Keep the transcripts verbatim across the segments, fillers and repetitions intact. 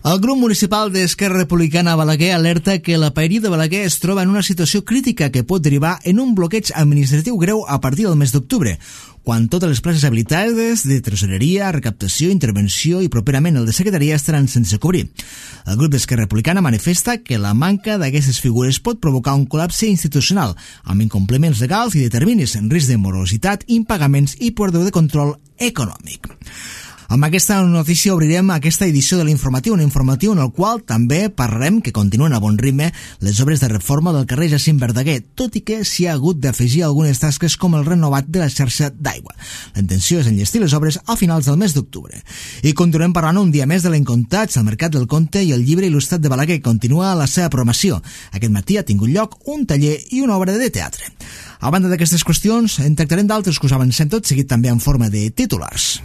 El grup municipal d'Esquerra Republicana a Balaguer alerta que la paeria de Balaguer es troba en una situació crítica que pot derivar en un bloqueig administratiu greu a partir del mes d'octubre, quan totes les places habilitades de tresoreria, recaptació, intervenció i properament el de secretaria estaran sense cobrir. El grup d'Esquerra Republicana manifesta que la manca d'aquestes figures pot provocar un col·lapse institucional, amb incompliments legals i determinis en risc de morositat, impagaments i pèrdua de control econòmic. Amb aquesta notícia obrirem aquesta edició de l'informatiu, un informatiu en el qual també parlarem que continuen a bon ritme les obres de reforma del carrer Jacint Verdaguer, tot i que s'hi ha hagut d'afegir algunes tasques com el renovat de la xarxa d'aigua. La intenció és enllestir les obres a finals del mes d'octubre. I continuem parlant un dia més de l'Encontats, el Mercat del Conte i el llibre il·lustrat de Balaguer. Continua la seva programació. Aquest matí ha tingut lloc un taller i una obra de teatre. A banda d'aquestes qüestions, en tractarem d'altres que us avancem tot seguit també en forma de titulars.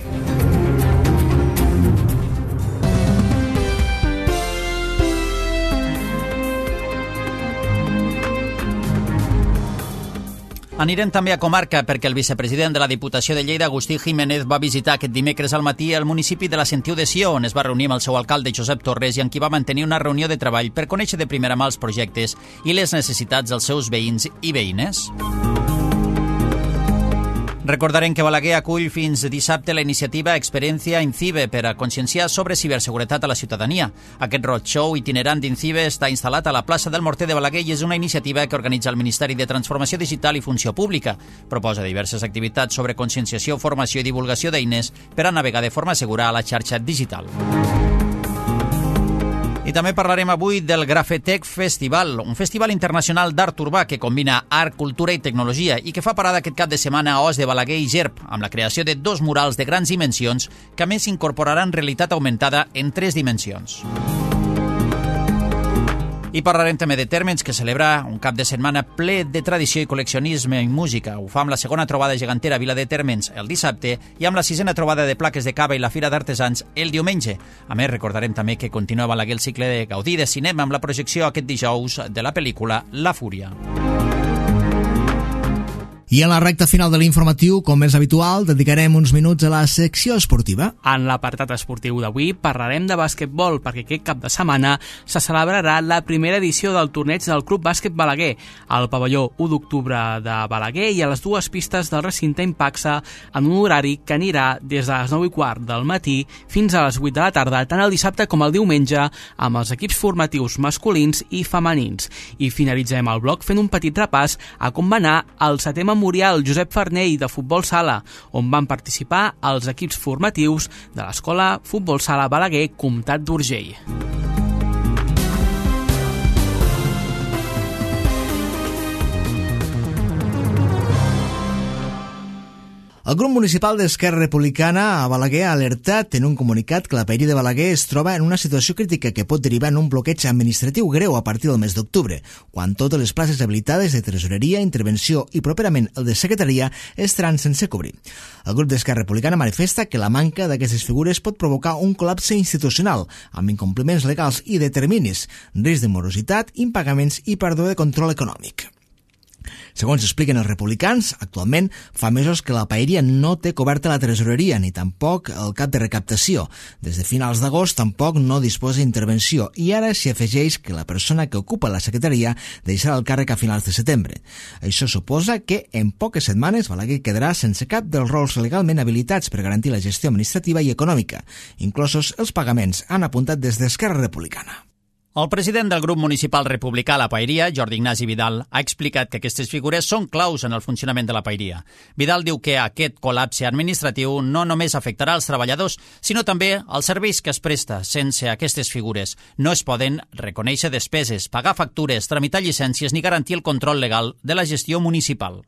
Anirem també a comarca perquè el vicepresident de la Diputació de Lleida, Agustí Jiménez, va visitar aquest dimecres al matí el municipi de la Sentiu de Sió, on es va reunir amb el seu alcalde, Josep Torres, i amb qui va mantenir una reunió de treball per conèixer de primera mà els projectes i les necessitats dels seus veïns i veïnes. Recordarem que Balaguer acull fins dissabte la iniciativa Experiencia Incibe per a conscienciar sobre ciberseguretat a la ciutadania. Aquest roadshow itinerant d'Incibe està instal·lat a la plaça del Morter de Balaguer i és una iniciativa que organitza el Ministeri de Transformació Digital i Funció Pública. Proposa diverses activitats sobre conscienciació, formació i divulgació d'eines per a navegar de forma segura a la xarxa digital. I també parlarem avui del Grafetec Festival, un festival internacional d'art urbà que combina art, cultura i tecnologia i que fa parada aquest cap de setmana a Os de Balaguer i Gerb, amb la creació de dos murals de grans dimensions que a més incorporaran realitat augmentada en tres dimensions. I parlarem també de Térmens, que celebra un cap de setmana ple de tradició i col·leccionisme i música. Ho fa amb la segona trobada gegantera a Vila de Térmens el dissabte i amb la sisena trobada de plaques de cava i la Fira d'Artesans el diumenge. A més, recordarem també que continua a Balaguer el cicle de Gaudí de cinema amb la projecció aquest dijous de la pel·lícula La Fúria. I en la recta final de l'informatiu, com és habitual, dedicarem uns minuts a la secció esportiva. En l'apartat esportiu d'avui parlarem de bàsquetbol, perquè aquest cap de setmana se celebrarà la primera edició del torneig del Club Bàsquet Balaguer, al pavelló u d'octubre de Balaguer i a les dues pistes del recinte Impaxa, en un horari que anirà des de les nou i quart del matí fins a les vuit de la tarda, tant el dissabte com el diumenge, amb els equips formatius masculins i femenins. I finalitzem el bloc fent un petit repàs a com va anar el setè Memorial Josep Farnell de Futbol Sala, on van participar els equips formatius de l'Escola Futbol Sala Balaguer, Comtat d'Urgell. El grup municipal d'Esquerra Republicana a Balaguer ha alertat en un comunicat que la paeria de Balaguer es troba en una situació crítica que pot derivar en un bloqueig administratiu greu a partir del mes d'octubre, quan totes les places habilitades de tresoreria, intervenció i properament el de secretaria estaran sense cobrir. El grup d'Esquerra Republicana manifesta que la manca d'aquestes figures pot provocar un col·lapse institucional, amb incompliments legals i de terminis, risc de morositat, impagaments i pèrdua de control econòmic. Segons expliquen els republicans, actualment fa mesos que la paeria no té coberta la tresoreria ni tampoc el cap de recaptació. Des de finals d'agost tampoc no disposa d'intervenció i ara s'hi afegeix que la persona que ocupa la secretaria deixarà el càrrec a finals de setembre. Això suposa que en poques setmanes Balaguer quedarà sense cap dels rols legalment habilitats per garantir la gestió administrativa i econòmica, inclosos els pagaments, han apuntat des d'Esquerra Republicana. El president del grup municipal republicà a la paeria, Jordi Ignasi Vidal, ha explicat que aquestes figures són claus en el funcionament de la paeria. Vidal diu que aquest col·lapse administratiu no només afectarà els treballadors, sinó també els serveis que es presta. Sense aquestes figures no es poden reconèixer despeses, pagar factures, tramitar llicències ni garantir el control legal de la gestió municipal.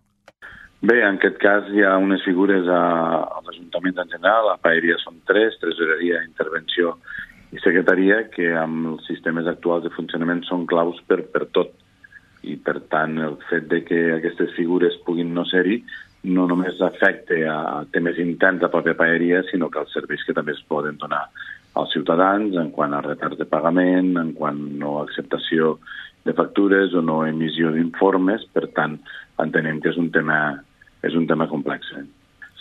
Bé, en aquest cas hi ha unes figures als ajuntaments en general. La paeria són tres, tresoreria, intervenció i secretaria, que amb els sistemes actuals de funcionament són claus per, per tot. I, per tant, el fet de que aquestes figures puguin no ser-hi no només afecta a temes interns de la pròpia paeria, sinó que els serveis que també es poden donar als ciutadans en quant a retards de pagament, en quant a no acceptació de factures o no emissió d'informes. Per tant, entenem que és un tema, és un tema complex.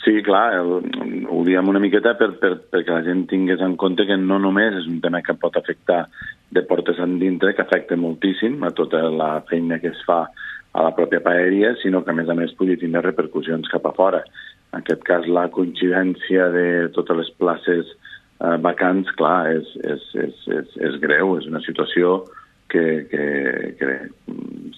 Sí, clar, el, ho diem una miqueta per, per, perquè la gent tingués en compte que no només és un tema que pot afectar de portes endintre, que afecta moltíssim a tota la feina que es fa a la pròpia paeria, sinó que a més a més pugui tenir repercussions cap a fora. En aquest cas, la coincidència de totes les places eh, vacants, clar, és, és, és, és, és greu, és una situació que, que, que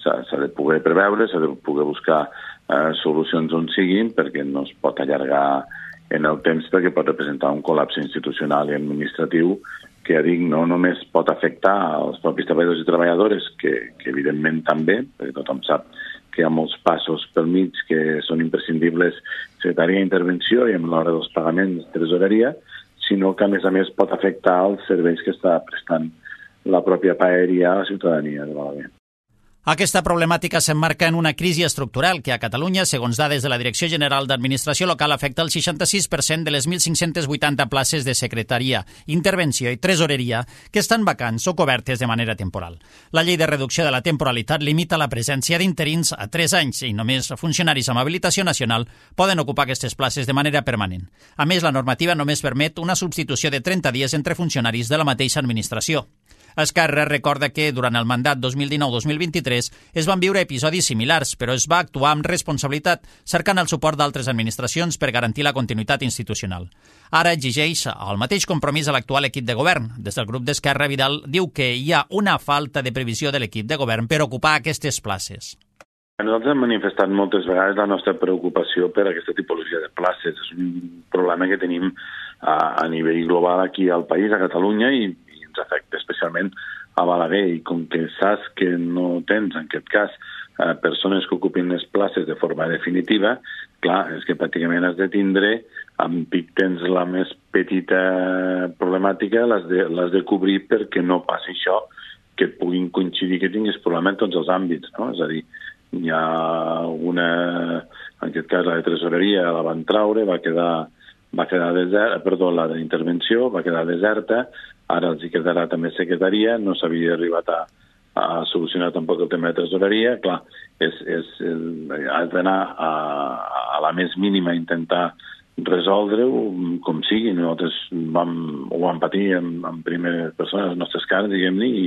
s'ha de poder preveure, s'ha de poder buscar eh, solucions on siguin, perquè no es pot allargar en el temps, perquè pot representar un col·lapse institucional i administratiu que, ja dic, no només pot afectar els propis treballadors i treballadores, que, que evidentment també, perquè tothom sap que hi ha molts passos pel mig que són imprescindibles, secretaria d'intervenció i amb l'hora dels pagaments, tresoreria, sinó que a més a més pot afectar els serveis que està prestant la pròpia paeria a la ciutadania de Balaguer. Aquesta problemàtica s'emmarca en una crisi estructural que a Catalunya, segons dades de la Direcció General d'Administració Local, afecta el seixanta-sis per cent de les mil cinc-cents vuitanta places de secretaria, intervenció i tresoreria que estan vacants o cobertes de manera temporal. La llei de reducció de la temporalitat limita la presència d'interins a tres anys i només funcionaris amb habilitació nacional poden ocupar aquestes places de manera permanent. A més, la normativa només permet una substitució de trenta dies entre funcionaris de la mateixa administració. Esquerra recorda que durant el mandat dos mil dinou dos mil vint-i-tres es van viure episodis similars, però es va actuar amb responsabilitat, cercant el suport d'altres administracions per garantir la continuïtat institucional. Ara exigeix el mateix compromís a l'actual equip de govern. Des del grup d'Esquerra, Vidal diu que hi ha una falta de previsió de l'equip de govern per ocupar aquestes places. Nosaltres hem manifestat moltes vegades la nostra preocupació per aquesta tipologia de places. És un problema que tenim a, a nivell global aquí al país, a Catalunya, i ens afecta especialment a Balaguer, i com que saps que no tens, en aquest cas, eh, persones que ocupin les places de forma definitiva, clar, és que pràcticament has de tindre, amb pic tens la més petita problemàtica, l'has de, l'has de cobrir perquè no passi això, que et puguin coincidir que tinguis problema en tots els àmbits, no? És a dir, hi ha una, en aquest cas la de tresoreria la van traure, va quedar, va quedar deserta, perdó, la d'intervenció va quedar deserta, ara els hi quedarà també secretaria, no s'havia arribat a, a solucionar tampoc el tema de tresoreria, clar, és, és, has d'anar a, a la més mínima a intentar resoldre-ho com sigui. Nosaltres vam, ho vam patir en, en primera persona, les nostres cares, diguem-ne, i,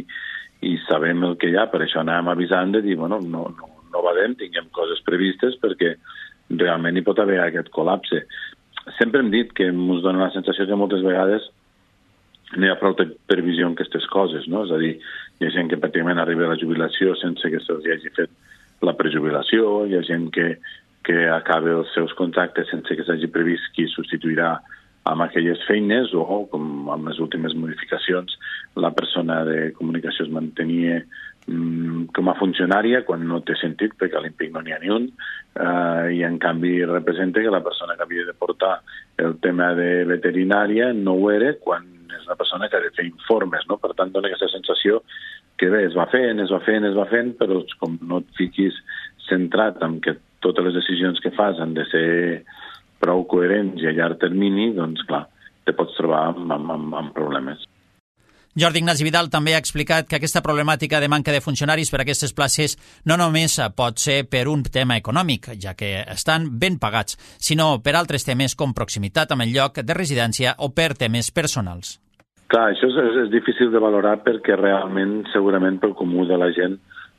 i sabem el que hi ha, per això anàvem avisant de dir, bueno, no, no, no badem, tinguem coses previstes perquè realment hi pot haver aquest col·lapse. Sempre hem dit que ens dona la sensació que moltes vegades no hi ha prou previsió en aquestes coses, no? És a dir, hi ha gent que pràcticament arriba a la jubilació sense que se'ls hagi fet la prejubilació, hi ha gent que, que acaba els seus contractes sense que s'hagi previst qui substituirà amb aquelles feines, o, com amb les últimes modificacions, la persona de comunicació es mantenia mm, com a funcionària quan no té sentit, perquè a l'Impic no n'hi ha ni un, eh, i en canvi representa que la persona que havia de portar el tema de veterinària no ho era quan és una persona que ha de fer informes, no? Per tant, dona aquesta sensació que bé, es va fent, es va fent, es va fent, però com no et fiquis centrat en que totes les decisions que fas han de ser prou coherents i a llarg termini, doncs clar, te pots trobar amb, amb, amb problemes. Jordi Ignasi Vidal també ha explicat que aquesta problemàtica de manca de funcionaris per a aquestes places no només pot ser per un tema econòmic, ja que estan ben pagats, sinó per altres temes com proximitat amb el lloc de residència o per temes personals. Clar, això és, és difícil de valorar perquè realment, segurament, pel comú de la gent,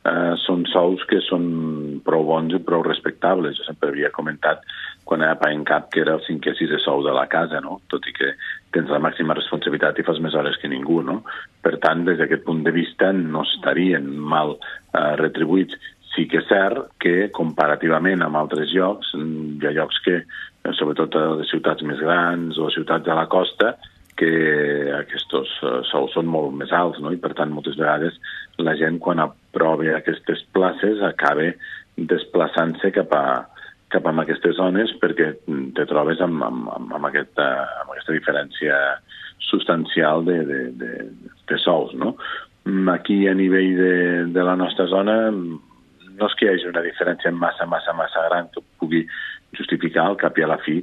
eh, són sous que són prou bons i prou respectables. Jo sempre havia comentat quan era pagant cap que era el cinquè o sisè sou de la casa, no? Tot i que tens la màxima responsabilitat i fas més hores que ningú, no? Per tant, des d'aquest punt de vista no estarien mal eh, retribuïts. Sí que és cert que, comparativament amb altres llocs, hi ha llocs que, sobretot a les ciutats més grans o ciutats de la costa, que aquests sous són molt més alts, no? I per tant moltes vegades la gent quan aprova aquestes places acaba desplaçant-se cap a, cap a aquestes zones perquè te trobes amb, amb, amb, aquesta, amb aquesta diferència substancial de, de, de, de sous, no? Aquí a nivell de, de la nostra zona no és que hi hagi una diferència massa, massa, massa gran que pugui justificar al cap i a la fi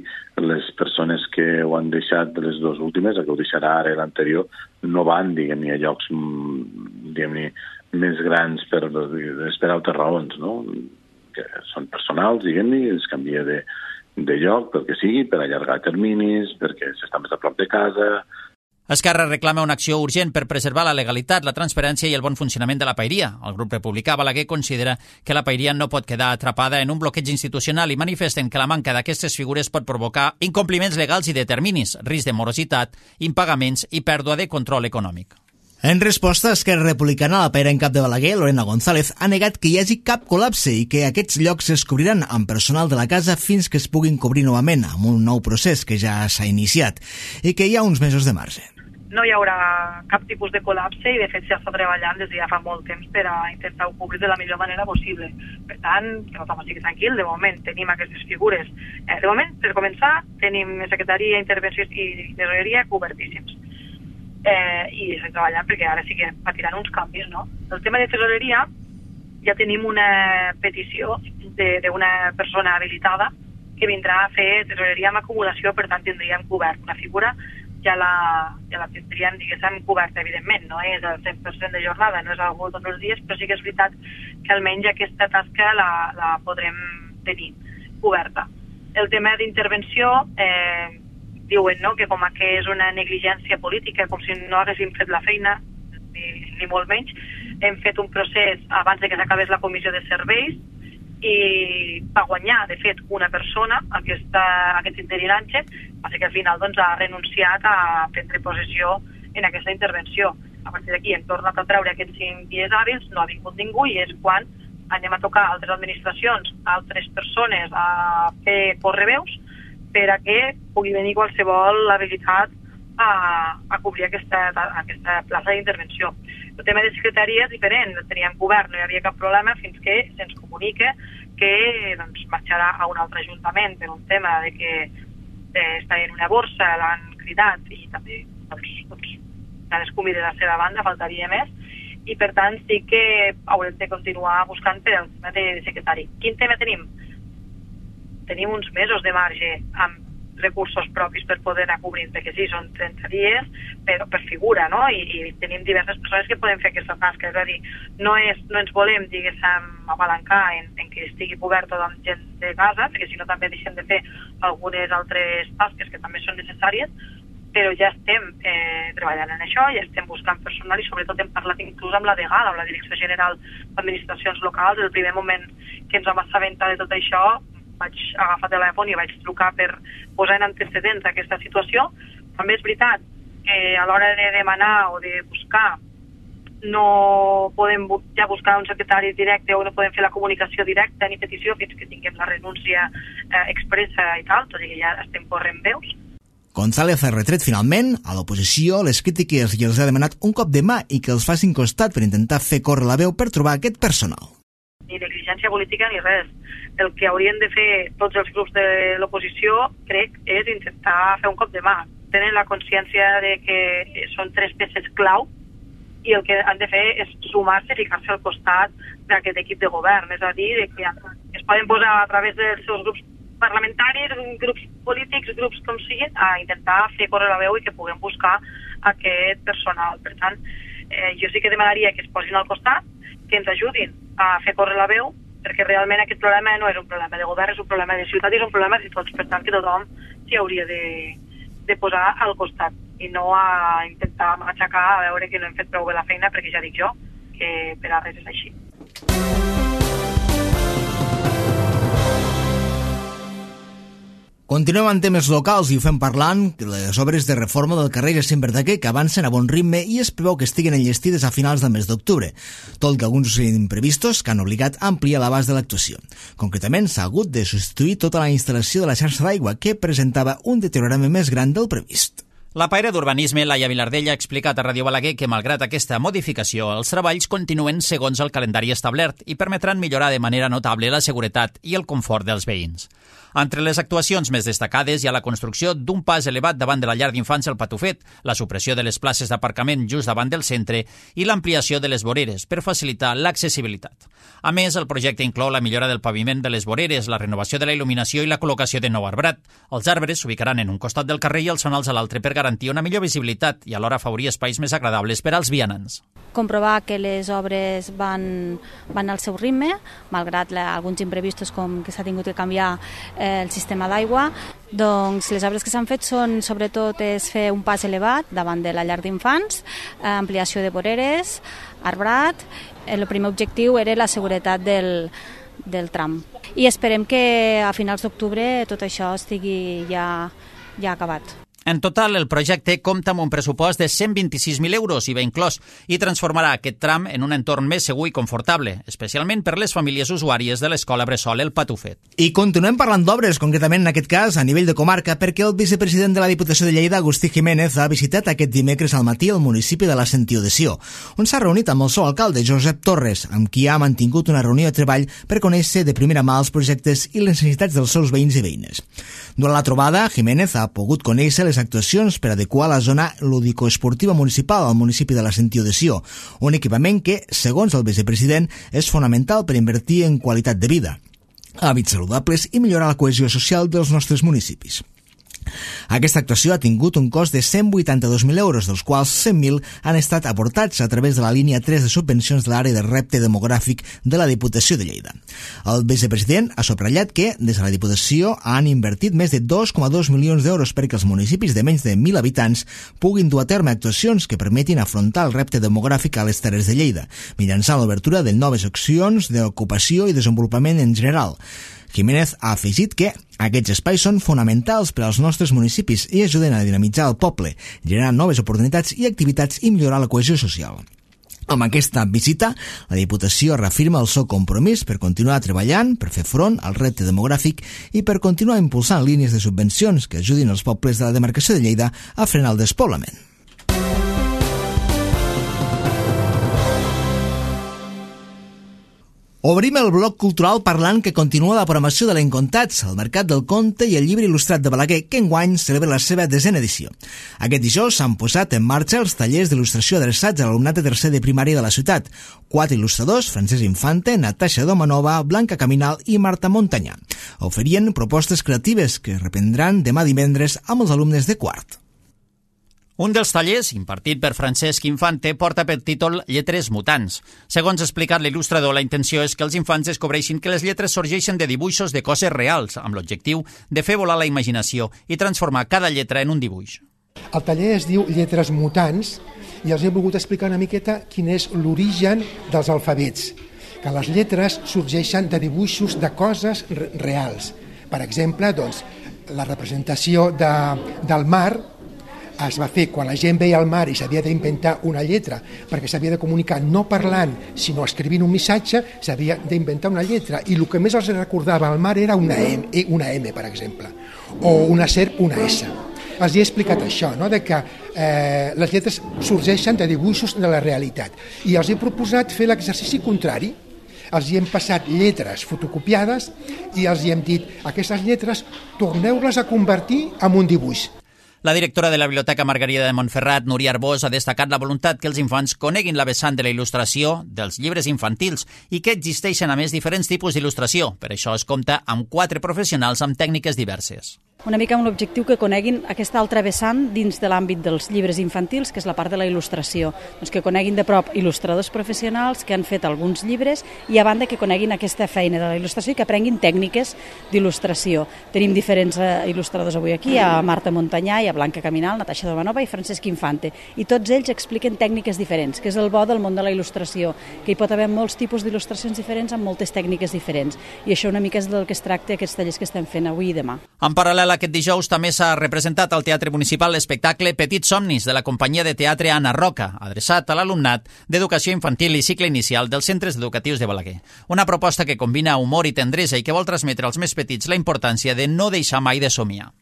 les persones que ho han deixat de les dues últimes, el que ho deixarà ara i l'anterior, no van, diguem-ne, a llocs diguem-ne, més grans per, per altres raons, no? Que són personals, diguem-ne, es canvia de, de lloc, pel que sigui, per allargar terminis, perquè s'està més a prop de casa. Esquerra reclama una acció urgent per preservar la legalitat, la transparència i el bon funcionament de la paeria. El grup republicà Balaguer considera que la paeria no pot quedar atrapada en un bloqueig institucional i manifesten que la manca d'aquestes figures pot provocar incompliments legals i de terminis, risc de morositat, impagaments i pèrdua de control econòmic. En resposta, Esquerra Republicana, la paera en cap de Balaguer, Lorena González, ha negat que hi hagi cap col·lapse i que aquests llocs es cobriran amb personal de la casa fins que es puguin cobrir novament, amb un nou procés que ja s'ha iniciat, i que hi ha uns mesos de marge. No hi haurà cap tipus de col·lapse i de fet ja està treballant des de ja fa molt temps per a intentar-ho cobrir de la millor manera possible. Per tant, que tothom estigui tranquil, de moment tenim aquestes figures. Eh, de moment, per començar, tenim secretaria, intervenció i tesoreria cobertíssims. Eh, I estem treballant perquè ara sí que patiran uns canvis, no? El tema de tesoreria, ja tenim una petició d'una persona habilitada que vindrà a fer tesoreria amb acumulació, per tant tindríem cobert una figura ja la, ja la tindríem, diguéssim, coberta, evidentment, no és el cent per cent de jornada, no és algú tots els dies, però sí que és veritat que almenys aquesta tasca la, la podrem tenir coberta. El tema d'intervenció, eh, diuen no, que com que és una negligència política, com si no haguéssim fet la feina, ni, ni molt menys, hem fet un procés abans de que s'acabés la comissió de serveis i va guanyar, de fet, una persona, aquesta, aquest interinatge, va ser que al final doncs, ha renunciat a prendre possessió en aquesta intervenció. A partir d'aquí hem tornat a treure aquests cinc dies hàbils, no ha vingut ningú i és quan anem a tocar altres administracions, altres persones a fer correveus per a que pugui venir qualsevol habilitat a, a cobrir aquesta, aquesta plaça d'intervenció. El tema de secretaria és diferent, el teníem cobert, no hi havia cap problema fins que se'ns comunica que doncs, marxarà a un altre ajuntament per un tema de que eh, està en una borsa, l'han cridat i també doncs, doncs, cadascú mira la seva banda, faltaria més, i per tant sí que haurem de continuar buscant per el tema de secretari. Quin tema tenim? Tenim uns mesos de marge amb recursos propis per poder anar cobrint, perquè sí, són trenta dies per, per figura, no? I, i tenim diverses persones que poden fer aquesta tasca, és a dir, no, és, no ens volem, diguéssim, apalancar en, en que estigui cobert tot amb gent de casa, perquè si no també deixem de fer algunes altres tasques que també són necessàries, però ja estem eh, treballant en això, ja estem buscant personal i sobretot hem parlat inclús amb la D G A L, amb la Direcció General d'Administracions Locals. El primer moment que ens vam assabentar de tot això vaig agafar telèfon i vaig trucar per posar en antecedents aquesta situació. També és veritat que a l'hora de demanar o de buscar no podem ja buscar un secretari directe o no podem fer la comunicació directa ni petició fins que tinguem la renúncia eh, expressa i tal, tot i que ja estem corrent veus. González ha retret finalment a l'oposició les crítiques i els ha demanat un cop de mà i que els facin costat per intentar fer córrer la veu per trobar aquest personal. Ni negligència política ni res. El que haurien de fer tots els grups de l'oposició, crec, és intentar fer un cop de mà. Tenen la consciència de que són tres peces clau i el que han de fer és sumar-se i ficar-se al costat d'aquest equip de govern. És a dir, que es poden posar a través dels seus grups parlamentaris, grups polítics, grups com siguin, a intentar fer córrer la veu i que puguem buscar aquest personal. Per tant, eh, jo sí que demanaria que es posin al costat, que ens ajudin a fer córrer la veu, perquè realment aquest problema no és un problema de govern, és un problema de ciutat i és un problema de tots. Per tant, que tothom s'hi hauria de, de posar al costat i no a intentar aixecar a veure que no hem fet prou bé la feina, perquè ja dic jo que per a res és així. Continuem amb temes locals i ho fem parlant de les obres de reforma del carrer Jacint Verdaguer que avancen a bon ritme i es preveu que estiguen enllestides a finals del mes d'octubre, tot que alguns imprevistos que han obligat a ampliar l'abast de l'actuació. Concretament, s'ha hagut de substituir tota la instal·lació de la xarxa d'aigua que presentava un deteriorament més gran del previst. La paira d'Urbanisme, Laia Vilardell, ha explicat a Ràdio Balaguer que, malgrat aquesta modificació, els treballs continuen segons el calendari establert i permetran millorar de manera notable la seguretat i el confort dels veïns. Entre les actuacions més destacades hi ha la construcció d'un pas elevat davant de la llar d'infants El Patufet, la supressió de les places d'aparcament just davant del centre i l'ampliació de les voreres per facilitar l'accessibilitat. A més, el projecte inclou la millora del paviment de les voreres, la renovació de la il·luminació i la col·locació de nou arbrat. Els arbres s'ubicaran en un costat del carrer i els sonals a l'altre per garantir garantir una millor visibilitat i alhora afavorir espais més agradables per als vianants. Comprovar que les obres van, van al seu ritme, malgrat la, alguns imprevistos com que s'ha tingut que canviar eh, el sistema d'aigua. Doncs les obres que s'han fet són, sobretot, és fer un pas elevat davant de la llar d'infants, eh, ampliació de voreres, arbrat. El primer objectiu era la seguretat del, del tram. I esperem que a finals d'octubre tot això estigui ja, ja acabat. En total, el projecte compta amb un pressupost de cent vint-i-sis mil euros, I V A inclòs, i transformarà aquest tram en un entorn més segur i confortable, especialment per les famílies usuàries de l'escola bressol El Patufet. I continuem parlant d'obres, concretament en aquest cas a nivell de comarca, perquè el vicepresident de la Diputació de Lleida, Agustí Jiménez, ha visitat aquest dimecres al matí el municipi de la Sentiu de Sió, on s'ha reunit amb el seu alcalde, Josep Torres, amb qui ha mantingut una reunió de treball per conèixer de primera mà els projectes i les necessitats dels seus veïns i veïnes. Durant la trobada, Jiménez ha pogut conèixer les actuacions per adequar la zona lúdico-esportiva municipal al municipi de la Sentiu de Sió, un equipament que, segons el vicepresident, és fonamental per invertir en qualitat de vida, hàbits saludables i millorar la cohesió social dels nostres municipis. Aquesta actuació ha tingut un cost de cent vuitanta-dos mil euros, dels quals cent mil han estat aportats a través de la línia tres de subvencions de l'àrea de repte demogràfic de la Diputació de Lleida. El vicepresident ha subratllat que, des de la Diputació, han invertit més de dos coma dos milions d'euros perquè els municipis de menys de mil habitants puguin dur a terme actuacions que permetin afrontar el repte demogràfic a les Terres de Lleida, mitjançant l'obertura de noves accions d'ocupació i desenvolupament en general. Jiménez ha afegit que aquests espais són fonamentals per als nostres municipis i ajuden a dinamitzar el poble, generar noves oportunitats i activitats i millorar la cohesió social. Amb aquesta visita, la Diputació reafirma el seu compromís per continuar treballant, per fer front al repte demogràfic i per continuar impulsant línies de subvencions que ajudin els pobles de la demarcació de Lleida a frenar el despoblament. Obrim el bloc cultural parlant que continua la programació de l'Encontats, el Mercat del Conte i el Llibre Il·lustrat de Balaguer, que enguany celebra la seva desena edició. Aquest dijous s'han posat en marxa els tallers d'il·lustració adreçats a l'alumnat de tercer de primària de la ciutat. Quatre il·lustradors, Francesc Infante, Natasha Domanova, Blanca Caminal i Marta Montanyà, oferien propostes creatives que reprendran demà divendres amb els alumnes de quart. Un dels tallers, impartit per Francesc Infante, porta per títol Lletres mutants. Segons ha explicat l'il·lustrador, la intenció és que els infants descobreixin que les lletres sorgeixen de dibuixos de coses reals, amb l'objectiu de fer volar la imaginació i transformar cada lletra en un dibuix. El taller es diu Lletres mutants i els he volgut explicar una miqueta quin és l'origen dels alfabets, que les lletres sorgeixen de dibuixos de coses reals. Per exemple, doncs, la representació de, del mar es va fer quan la gent veia el mar i s'havia d'inventar una lletra, perquè s'havia de comunicar no parlant, sinó escrivint un missatge, s'havia d'inventar una lletra, i el que més els recordava al mar era una M, una M, per exemple, o una serp, una S. Els he explicat això, no? De que eh, les lletres sorgeixen de dibuixos de la realitat, i els he proposat fer l'exercici contrari. Els hi hem passat lletres fotocopiades i els hi hem dit, aquestes lletres torneu-les a convertir en un dibuix. La directora de la Biblioteca Margarida de Montferrat, Núria Arbós, ha destacat la voluntat que els infants coneguin la vessant de la il·lustració dels llibres infantils i que existeixen, a més, diferents tipus d'il·lustració. Per això es compta amb quatre professionals amb tècniques diverses. Una mica amb l'objectiu que coneguin aquesta altra vessant dins de l'àmbit dels llibres infantils, que és la part de la il·lustració. Doncs que coneguin de prop il·lustradors professionals que han fet alguns llibres i a banda que coneguin aquesta feina de la il·lustració i que aprenguin tècniques d'il·lustració. Tenim diferents eh, il·lustradors avui aquí, a Marta Montanyà, i a Blanca Caminal, Natasha Domanova i Francesc Infante. I tots ells expliquen tècniques diferents, que és el bo del món de la il·lustració, que hi pot haver molts tipus d'il·lustracions diferents amb moltes tècniques diferents. I això una mica és del que es tracta aquests tallers que estem fent avui i demà. En paral·lel, aquest dijous també s'ha representat al Teatre Municipal l'espectacle Petits somnis de la companyia de teatre Anna Roca, adreçat a l'alumnat d'educació infantil i cicle inicial dels centres educatius de Balaguer. Una proposta que combina humor i tendresa i que vol transmetre als més petits la importància de no deixar mai de somiar.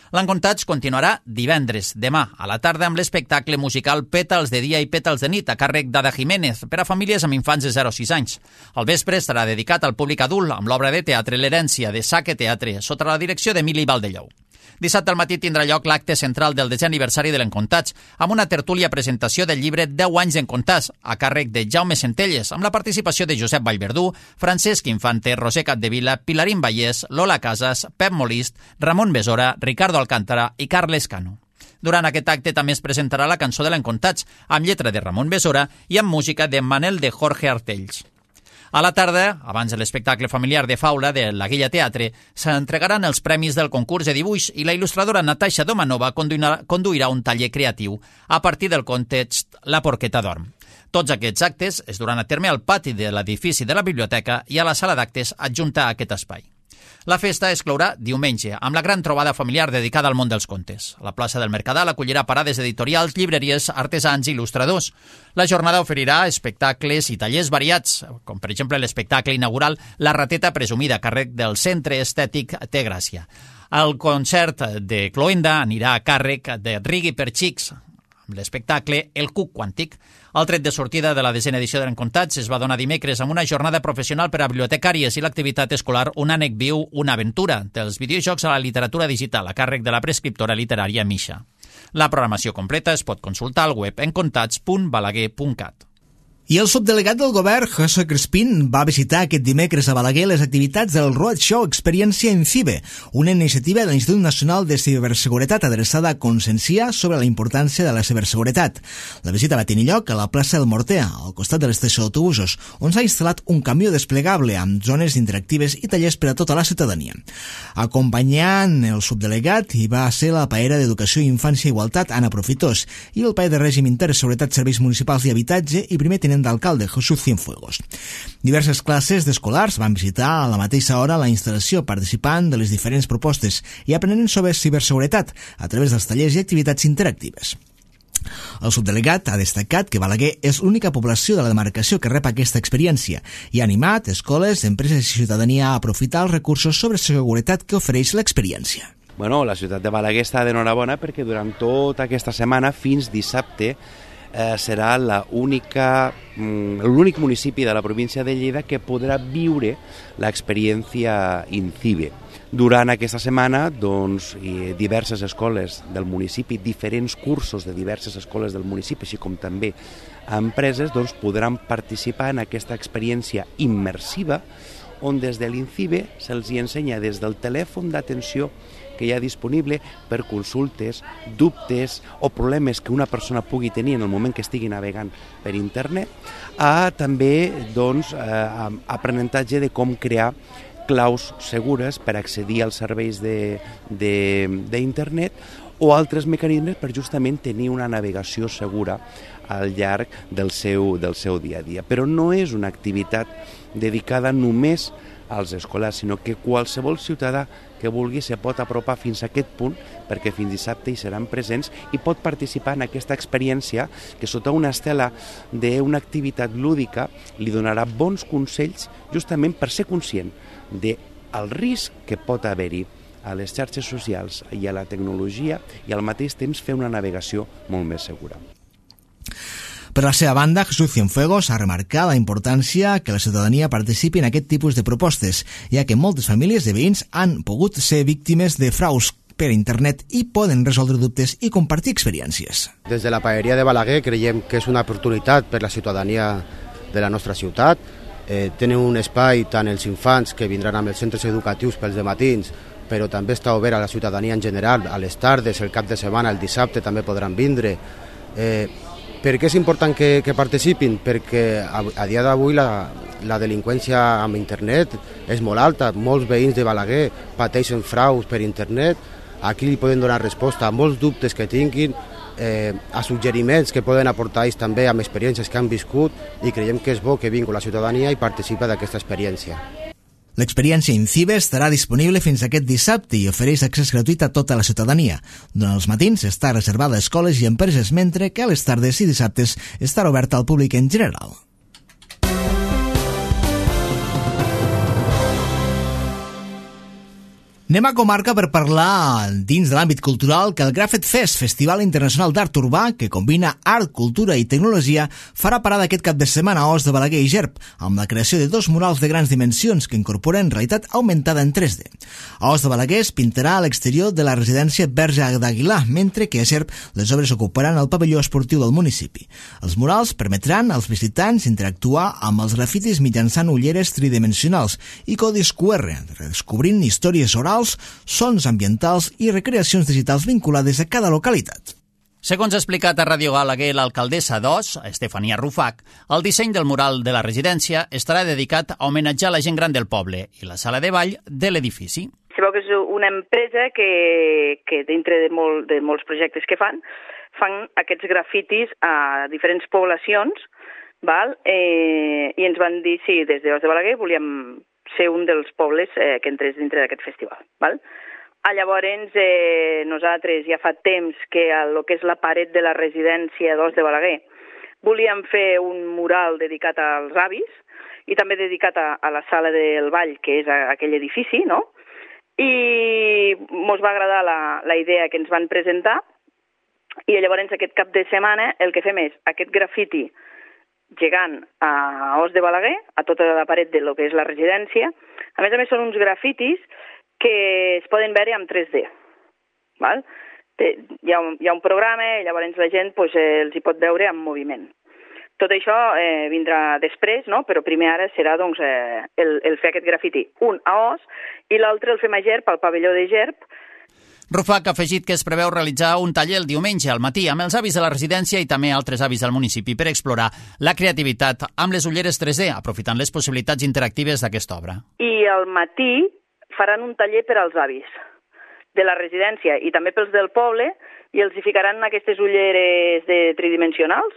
L'Encontats continuarà divendres, demà, a la tarda, amb l'espectacle musical Pètals de dia i Pètals de nit, a càrrec d'Ada Jiménez, per a famílies amb infants de zero a sis anys. El vespre estarà dedicat al públic adult, amb l'obra de teatre L'herència, de Saque Teatre, sota la direcció d'Emili Valdellou. Dissabte al matí tindrà lloc l'acte central del desè aniversari de l'Encontats, amb una tertúlia presentació del llibre deu anys d'Encontats, a càrrec de Jaume Centelles, amb la participació de Josep Vallverdú, Francesc Infante, Roser Capdevila, Pilarín Vallès, Lola Casas, Pep Molist, Ramon Besora, Ricardo Alcántara i Carles Cano. Durant aquest acte també es presentarà la cançó de l'Encontats, amb lletra de Ramon Besora i amb música de Manel de Jorge Artells. A la tarda, abans de l'espectacle familiar de Faula de la Guilla Teatre, s'entregaran els premis del concurs de dibuix i la il·lustradora Natasha Domanova conduirà un taller creatiu a partir del context La porqueta dorm. Tots aquests actes es duran a terme al pati de l'edifici de la biblioteca i a la sala d'actes adjunta a aquest espai. La festa es clourà diumenge, amb la gran trobada familiar dedicada al món dels contes. La plaça del Mercadal acollirà parades editorials, llibreries, artesans i il·lustradors. La jornada oferirà espectacles i tallers variats, com per exemple l'espectacle inaugural La rateta presumida, a càrrec del Centre Estètic Té Gràcia. El concert de Cloenda anirà a càrrec de Rigui per Xics, amb l'espectacle El Cuc Quàntic. El tret de sortida de la desena edició de l'Encontats es va donar dimecres amb una jornada professional per a bibliotecàries i l'activitat escolar Un ànec viu, una aventura, dels videojocs a la literatura digital, a càrrec de la prescriptora literària Misha. La programació completa es pot consultar al web encontats punt balaguer punt cat. I el subdelegat del govern, José Crespín, va visitar aquest dimecres a Balaguer les activitats del Roadshow Experiència INCIBE, una iniciativa de l'Institut Nacional de Ciberseguretat adreçada a conscienciar sobre la importància de la ciberseguretat. La visita va tenir lloc a la plaça del Morter, al costat de l'estació d'autobusos, on s'ha instal·lat un camió desplegable amb zones interactives i tallers per a tota la ciutadania. Acompanyant el subdelegat hi va ser la paera d'Educació, Infància i Igualtat, Anna Profitós, i el paer de Règim Intern, Seguretat, Serveis Municipals i Habitatge i primer tinent d'alcalde, Jesús Cienfuegos. Diverses classes d'escolars van visitar a la mateixa hora la instal·lació, participant de les diferents propostes i aprenent sobre ciberseguretat a través dels tallers i activitats interactives. El subdelegat ha destacat que Balaguer és l'única població de la demarcació que rep aquesta experiència i ha animat escoles, empreses i ciutadania a aprofitar els recursos sobre seguretat que ofereix l'experiència. Bueno, la ciutat de Balaguer està d'enhorabona perquè durant tota aquesta setmana, fins dissabte, eh, serà la única, mm, l'únic municipi de la província de Lleida que podrà viure l'experiència INCIBE. Durant aquesta setmana, doncs, diverses escoles del municipi, diferents cursos de diverses escoles del municipi, així com també empreses, doncs, podran participar en aquesta experiència immersiva on des de l'INCIBE se'ls ensenya des del telèfon d'atenció que hi ha disponible per consultes, dubtes o problemes que una persona pugui tenir en el moment que estigui navegant per internet, a també doncs, eh, aprenentatge de com crear claus segures per accedir als serveis d'internet o altres mecanismes per justament tenir una navegació segura al llarg del seu, del seu dia a dia. Però no és una activitat dedicada només als escolars, sinó que qualsevol ciutadà que vulgui se pot apropar fins a aquest punt, perquè fins dissabte hi seran presents i pot participar en aquesta experiència que sota una estela d'una activitat lúdica li donarà bons consells justament per ser conscient del risc que pot haver-hi a les xarxes socials i a la tecnologia i al mateix temps fer una navegació molt més segura. Per la seva banda, Jesús Cienfuegos ha remarcat la importància que la ciutadania participi en aquest tipus de propostes, ja que moltes famílies de veïns han pogut ser víctimes de fraus per internet i poden resoldre dubtes i compartir experiències. Des de la paeria de Balaguer creiem que és una oportunitat per la ciutadania de la nostra ciutat. Eh, tenen un espai tant els infants que vindran amb els centres educatius pels dematins, però també està obert a la ciutadania en general, a les tardes, el cap de setmana, el dissabte també podran vindre. Eh, per què és important que, que participin? Perquè a, a dia d'avui la, la delinqüència amb internet és molt alta, molts veïns de Balaguer pateixen fraus per internet, aquí li poden donar resposta a molts dubtes que tinguin, eh, a suggeriments que poden aportar ells també amb experiències que han viscut i creiem que és bo que vingui la ciutadania i participa d'aquesta experiència. L'experiència INCIBE estarà disponible fins aquest dissabte i ofereix accés gratuït a tota la ciutadania. Durant els matins està reservada a escoles i empreses, mentre que a les tardes i dissabtes estarà oberta al públic en general. Anem a comarca per parlar, dins de l'àmbit cultural, que el Grafet Fest, Festival Internacional d'Art Urbà, que combina art, cultura i tecnologia, farà parada aquest cap de setmana a Os de Balaguer i Gerb, amb la creació de dos murals de grans dimensions que incorporen realitat augmentada en tres D. A Os de Balaguer es pintarà a l'exterior de la residència Verge d'Aguilar, mentre que a Gerb les obres ocuparan el pavelló esportiu del municipi. Els murals permetran als visitants interactuar amb els grafitis mitjançant ulleres tridimensionals i codis Q R, redescobrint històries orals culturals, sons ambientals i recreacions digitals vinculades a cada localitat. Segons ha explicat a Ràdio Balaguer l'alcaldessa d'Os, Estefania Rufac, el disseny del mural de la residència estarà dedicat a homenatjar la gent gran del poble i la sala de ball de l'edifici. Sabeu que és una empresa que, que dintre de, molt, de molts projectes que fan, fan aquests grafitis a diferents poblacions, val? Eh, i ens van dir si des d'Os de Balaguer volíem ser un dels pobles eh, que entrés dintre d'aquest festival. Val? Ah, llavors, eh, nosaltres ja fa temps que el que és la paret de la residència d'Os de Balaguer volíem fer un mural dedicat als avis i també dedicat a, a la sala del ball, que és a, aquell edifici, no? I ens va agradar la, la idea que ens van presentar i llavors aquest cap de setmana el que fem és aquest grafiti gegant a Os de Balaguer, a tota la paret de lo que és la residència. A més a més són uns grafitis que es poden veure en tres D. Val? Hi, ha un, hi ha un programa i llavors la gent pues, eh, els hi pot veure en moviment. Tot això eh, vindrà després, no? Però primer ara serà doncs, eh, el, el fer aquest grafiti. Un a Os i l'altre el fem a Gerp, al pavelló de Gerp. Rufac ha afegit que es preveu realitzar un taller el diumenge al matí amb els avis de la residència i també altres avis del municipi per explorar la creativitat amb les ulleres tres D, aprofitant les possibilitats interactives d'aquesta obra. I al matí faran un taller per als avis de la residència i també pels del poble i els hi ficaran aquestes ulleres de tridimensionals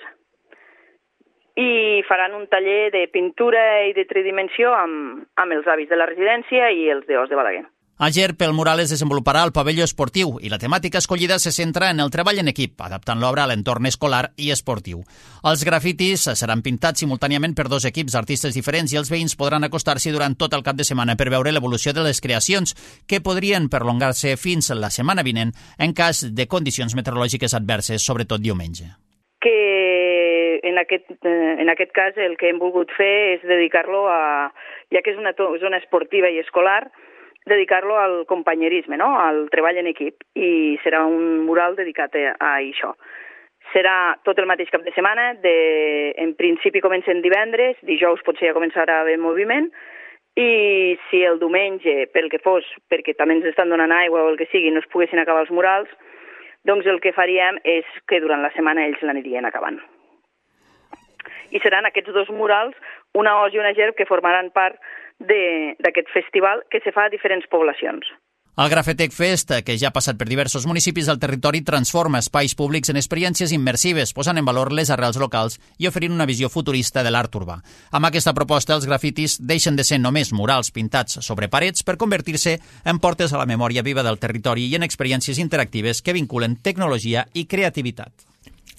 i faran un taller de pintura i de tridimensió amb, amb els avis de la residència i els d'Os de Balaguer. A Gerp, el mural es desenvoluparà al pavelló esportiu i la temàtica escollida se centra en el treball en equip, adaptant l'obra a l'entorn escolar i esportiu. Els grafitis seran pintats simultàniament per dos equips d'artistes diferents i els veïns podran acostar-s'hi durant tot el cap de setmana per veure l'evolució de les creacions, que podrien perllongar-se fins la setmana vinent en cas de condicions meteorològiques adverses, sobretot diumenge. Que en aquest, en aquest cas el que hem volgut fer és dedicar-lo a, ja que és una zona esportiva i escolar, dedicar-lo al companyerisme, no? Al treball en equip, i serà un mural dedicat a, a això. Serà tot el mateix cap de setmana, de, en principi comencen divendres, dijous potser ja començarà a haver moviment, i si el diumenge, pel que fos, perquè també ens estan donant aigua o el que sigui, no es poguessin acabar els murals, doncs el que faríem és que durant la setmana ells l'anirien acabant. I seran aquests dos murals, una Os i una Gerp, que formaran part d'aquest festival que se fa a diferents poblacions. El Grafetec Fest, que ja ha passat per diversos municipis del territori, transforma espais públics en experiències immersives, posant en valor les arrels locals i oferint una visió futurista de l'art urbà. Amb aquesta proposta, els grafitis deixen de ser només murals pintats sobre parets per convertir-se en portes a la memòria viva del territori i en experiències interactives que vinculen tecnologia i creativitat.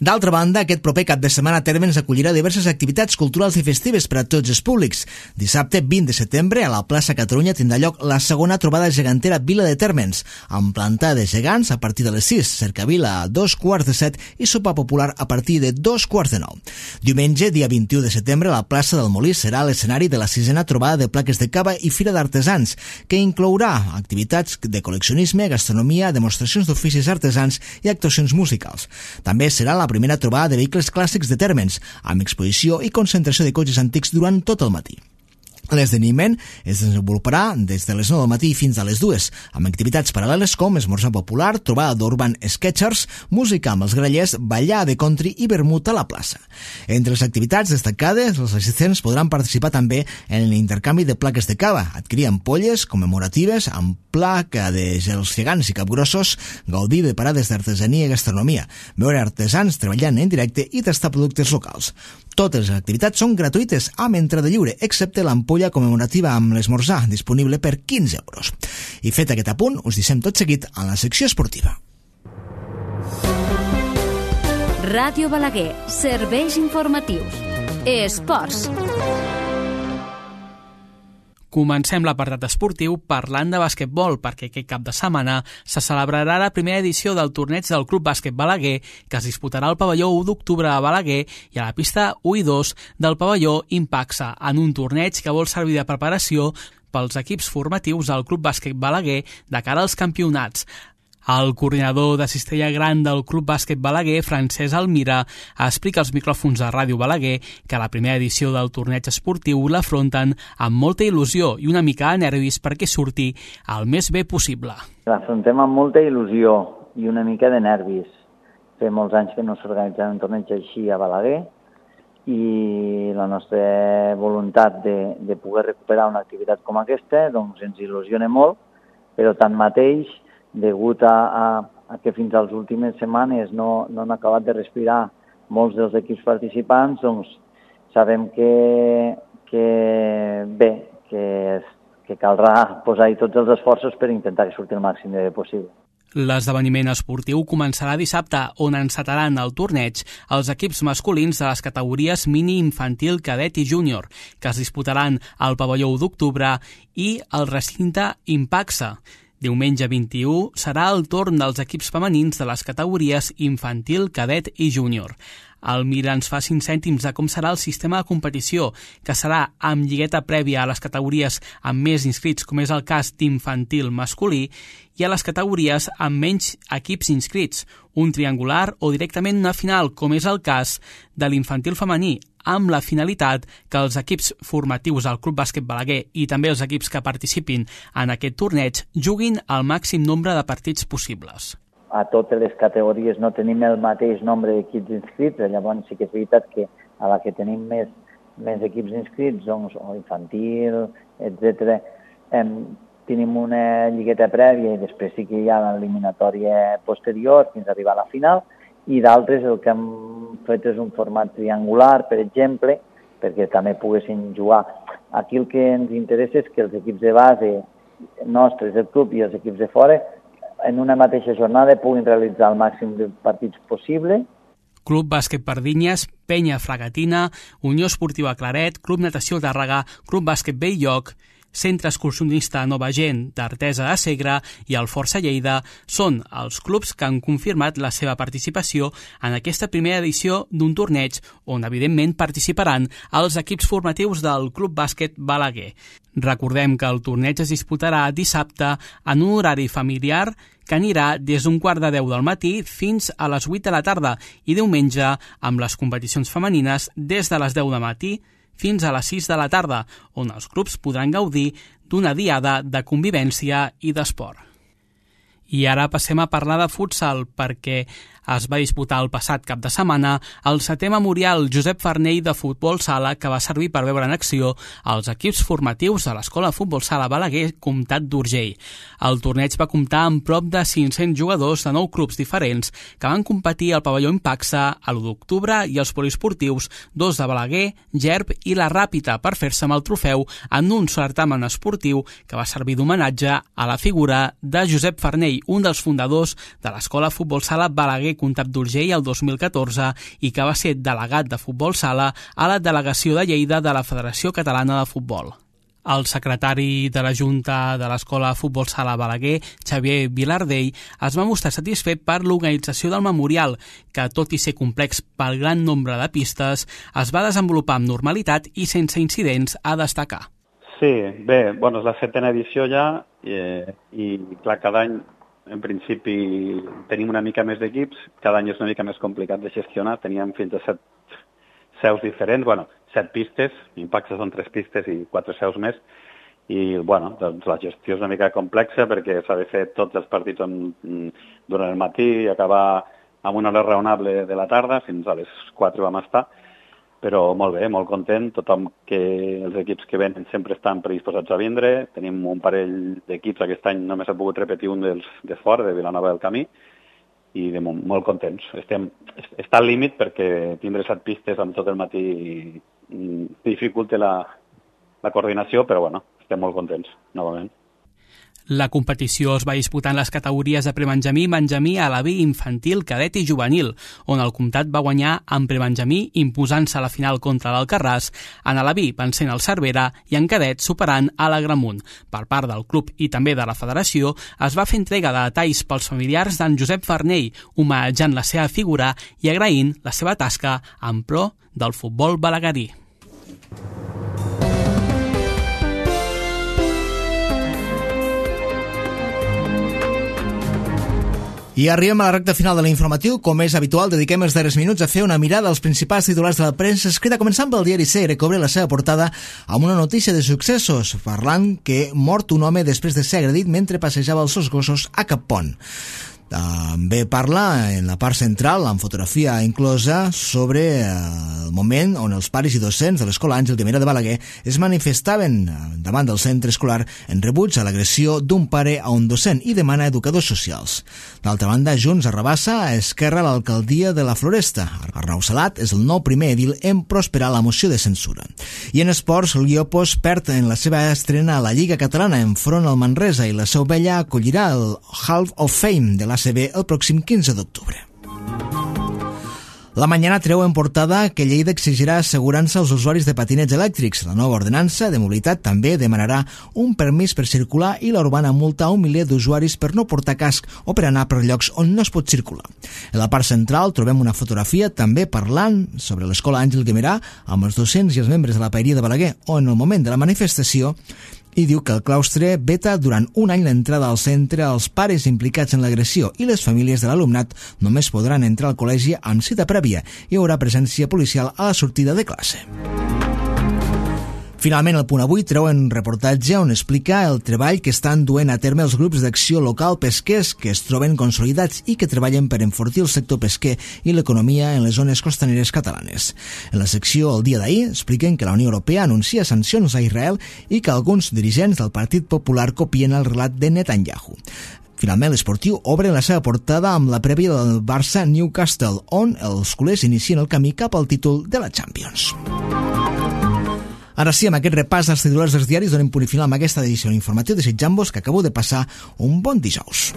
D'altra banda, aquest proper cap de setmana Térmens acollirà diverses activitats culturals i festives per a tots els públics. Dissabte vint de setembre, a la plaça Catalunya tindrà lloc la segona trobada gegantera Vila de Térmens, amb plantada de gegants a partir de les sis, cercavila a dos quarts de set i sopa popular a partir de dos quarts de nou. Diumenge, dia vint-i-u de setembre, la plaça del Molí serà l'escenari de la sisena trobada de plaques de cava i fira d'artesans, que inclourà activitats de col·leccionisme, gastronomia, demostracions d'oficis artesans i actuacions musicals. També serà la primera trobada de vehicles clàssics de Térmens, amb exposició i concentració de cotxes antics durant tot el matí. L'esdeveniment es desenvoluparà des de les nou del matí fins a les dues, amb activitats paral·leles com esmorzar popular, trobada d'Urban Sketchers, música amb els grallers, ballar de country i vermut a la plaça. Entre les activitats destacades, els assistents podran participar també en l'intercanvi de plaques de cava, adquirir ampolles commemoratives amb placa de gels gegants i capgrossos, gaudir de parades d'artesania i gastronomia, veure artesans treballant en directe i tastar productes locals. Totes les activitats són gratuïtes, amb entrada lliure, excepte l'ampolla commemorativa amb l'esmorzar, disponible per quinze euros. I fet aquest apunt, us deixem tot seguit a la secció esportiva. Ràdio Balaguer, serveis informatius. Esports. Comencem l'apartat esportiu parlant de basquetbol, perquè aquest cap de setmana se celebrarà la primera edició del torneig del Club Bàsquet Balaguer, que es disputarà al pavelló u d'octubre a Balaguer i a la pista u i dos del pavelló Impaxa, en un torneig que vol servir de preparació pels equips formatius del Club Bàsquet Balaguer de cara als campionats. El coordinador de Cistella Gran del Club Bàsquet Balaguer, Francesc Almira, explica als micròfons de Ràdio Balaguer que la primera edició del torneig esportiu l'afronten amb molta il·lusió i una mica de nervis perquè surti el més bé possible. L'afrontem amb molta il·lusió i una mica de nervis. Fa molts anys que no s'organitza un torneig així a Balaguer i la nostra voluntat de, de poder recuperar una activitat com aquesta doncs ens il·lusiona molt, però tanmateix degut a, a, a que fins a les últimes setmanes no, no han acabat de respirar molts dels equips participants, doncs sabem que, que bé, que, que caldrà posar-hi tots els esforços per intentar que surti el màxim de bé possible. L'esdeveniment esportiu començarà dissabte, on encetaran el torneig els equips masculins de les categories mini, infantil, cadet i júnior, que es disputaran al pavelló u d'octubre i al recinte Impaxa. Diumenge vint-i-u serà el torn dels equips femenins de les categories infantil, cadet i júnior. El Mira ens fa cinc cèntims de com serà el sistema de competició, que serà amb lligueta prèvia a les categories amb més inscrits, com és el cas d'infantil masculí, i a les categories amb menys equips inscrits, un triangular o directament una final, com és el cas de l'infantil femení, amb la finalitat que els equips formatius del Club Bàsquet Balaguer i també els equips que participin en aquest torneig juguin el màxim nombre de partits possibles. A totes les categories no tenim el mateix nombre d'equips inscrits, llavors sí que és veritat que a la que tenim més, més equips inscrits, doncs, o infantil, etcètera, eh, tenim una lligueta prèvia i després sí que hi ha l'eliminatòria posterior fins a arribar a la final, i d'altres el que hem fet és un format triangular, per exemple, perquè també poguessin jugar. Aquí el que ens interessa és que els equips de base nostres del club i els equips de fora en una mateixa jornada puguin realitzar el màxim de partits possible. Club Bàsquet Pardinyes, Penya Fragatina, Unió Esportiva Claret, Club Natació Tàrrega, Club Bàsquet Bell-lloc, Centre Excursionista Nova Gent d'Artesa de Segre i el Força Lleida són els clubs que han confirmat la seva participació en aquesta primera edició d'un torneig on, evidentment, participaran els equips formatius del Club Bàsquet Balaguer. Recordem que el torneig es disputarà dissabte en un horari familiar que anirà des d'un quart de deu del matí fins a les vuit de la tarda i diumenge amb les competicions femenines des de les deu del matí fins a les sis de la tarda, on els clubs podran gaudir d'una diada de convivència i d'esport. I ara passem a parlar de futsal, perquè es va disputar el passat cap de setmana el setè memorial Josep Farnell de futbol sala, que va servir per veure en acció els equips formatius de l'Escola Futbol Sala Balaguer Comtat d'Urgell. El torneig va comptar amb prop de cinc-cents jugadors de nou clubs diferents que van competir al pavelló Impaxa a l'u d'octubre i els poliesportius, dos de Balaguer, Gerb i la Ràpita, per fer-se amb el trofeu en un certamen esportiu que va servir d'homenatge a la figura de Josep Farnell, un dels fundadors de l'Escola Futbol Sala Balaguer Comtat d'Urgell el dos mil catorze i que va ser delegat de futbol sala a la delegació de Lleida de la Federació Catalana de Futbol. El secretari de la Junta de l'Escola Futbol Sala Balaguer, Xavier Vilardell, es va mostrar satisfet per l'organització del memorial, que, tot i ser complex pel gran nombre de pistes, es va desenvolupar amb normalitat i sense incidents a destacar. Sí, bé, bueno, és la setena edició ja eh, i, clar, cada any en principi tenim una mica més d'equips, cada any és una mica més complicat de gestionar, teníem fins a set seus diferents, bueno, set pistes, Impaxa són tres pistes i quatre seus més, i bueno, doncs la gestió és una mica complexa perquè s'ha de fer tots els partits en, durant el matí i acabar amb una hora raonable de la tarda, fins a les quatre vam estar, però molt bé, molt content, tothom que els equips que venen sempre estan predisposats a vindre, tenim un parell d'equips, aquest any només ha pogut repetir un dels de fora, de Vilanova del Camí, i de molt, molt contents. Estem, està al límit perquè tindre set pistes amb tot el matí dificulta la, la coordinació, però bueno, estem molt contents, novament. La competició es va disputar en les categories de prebenjamí, benjamí, alaví, infantil, cadet i juvenil, on el Comtat va guanyar en prebenjamí imposant-se a la final contra l'Alcarràs, en alaví vencent el Cervera i en cadet superant a l'Agramunt. Per part del club i també de la federació es va fer entrega de detalls pels familiars d'en Josep Farnell, homenatjant la seva figura i agraint la seva tasca en pro del futbol balaguerí. I arribem a la recta final de l'informatiu. Com és habitual, dediquem els darrers minuts a fer una mirada als principals titulars de la premsa escrita, començant pel diari Segre, que obre la seva portada amb una notícia de successos, parlant que mort un home després de ser agredit mentre passejava els seus gossos a Cap Pont. També parla en la part central, amb fotografia inclosa, sobre el moment on els pares i docents de l'Escola Àngel Guimerà de Balaguer es manifestaven davant del centre escolar en rebuig a l'agressió d'un pare a un docent i demana educadors socials. D'altra banda, Junts arrabassa a Esquerra a l'alcaldia de la Floresta. Arnau Salat és el nou primer edil en prosperar la moció de censura. I en esports, el Guiopos perd en la seva estrena a la Lliga Catalana enfront al Manresa i la Seu Vella acollirà el Hall of Fame de l'A C B el pròxim quinze d'octubre. La Mañana treu en portada que Lleida exigirà assegurança als usuaris de patinets elèctrics. La nova ordenança de mobilitat també demanarà un permís per circular i la urbana multa a un miler d'usuaris per no portar casc o per anar per llocs on no es pot circular. En la part central trobem una fotografia també parlant sobre l'Escola Àngel Guimerà amb els docents i els membres de la Paeria de Balaguer, on en el moment de la manifestació i diu que el claustre veta durant un any l'entrada al centre als pares implicats en l'agressió i les famílies de l'alumnat només podran entrar al col·legi amb cita prèvia. Hi haurà presència policial a la sortida de classe. Finalment, el Punt Avui treu un reportatge on explica el treball que estan duent a terme els grups d'acció local pesquers que es troben consolidats i que treballen per enfortir el sector pesquer i l'economia en les zones costaneres catalanes. En la secció El dia d'ahir expliquen que la Unió Europea anuncia sancions a Israel i que alguns dirigents del Partit Popular copien el relat de Netanyahu. Finalment, l'Esportiu obre la seva portada amb la prèvia del Barça-Newcastle, on els culers inicien el camí cap al títol de la Champions. Ara sí, amb aquest repàs dels titulars dels diaris donem punt i final amb aquesta edició informativa, desitjant-vos que acabeu de passar un bon dijous.